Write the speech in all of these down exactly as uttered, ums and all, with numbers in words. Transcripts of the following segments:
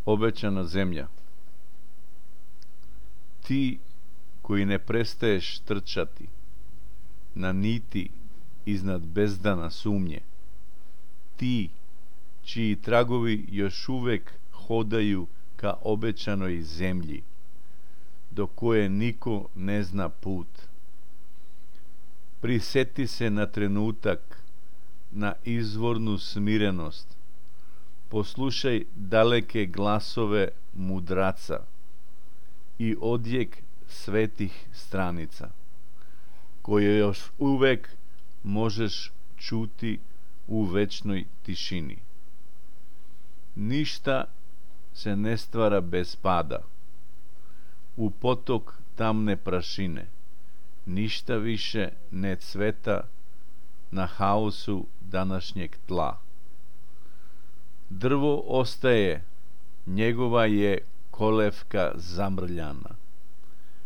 Obećana zemlja. Ti koji ne prestaješ trčati na niti iznad bezdana sumnje, ti čiji tragovi još uvek hodaju ka obećanoj zemlji, do koje niko ne zna put. Priseti se na trenutak, na izvornu smirenost, poslušaj daleke glasove mudraca i odjek svetih stranica, koje još uvek možeš čuti u večnoj tišini. Ništa se ne stvara bez pada. U potok tamne prašine ništa više ne cveta na haosu današnjeg tla. Drvo ostaje, njegova je kolevka zamrljana.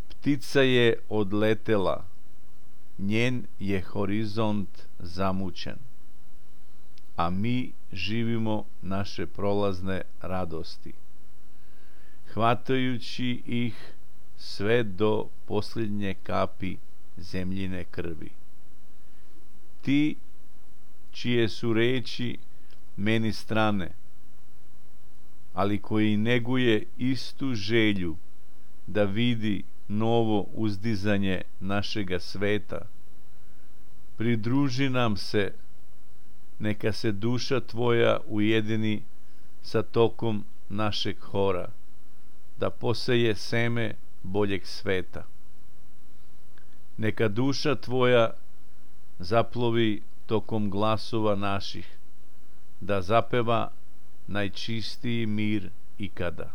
Ptica je odletela, njen je horizont zamućen. A mi živimo naše prolazne radosti, hvatajući ih sve do posljednje kapi zemljine krvi. Ti čije su reči meni strane, ali koji neguje istu želju da vidi novo uzdizanje našega sveta, pridruži nam se, neka se duša tvoja ujedini sa tokom našeg hora, da poseje seme boljeg sveta. Neka duša tvoja zaplovi tokom glasova naših, da zapeva najčistiji mir ikada.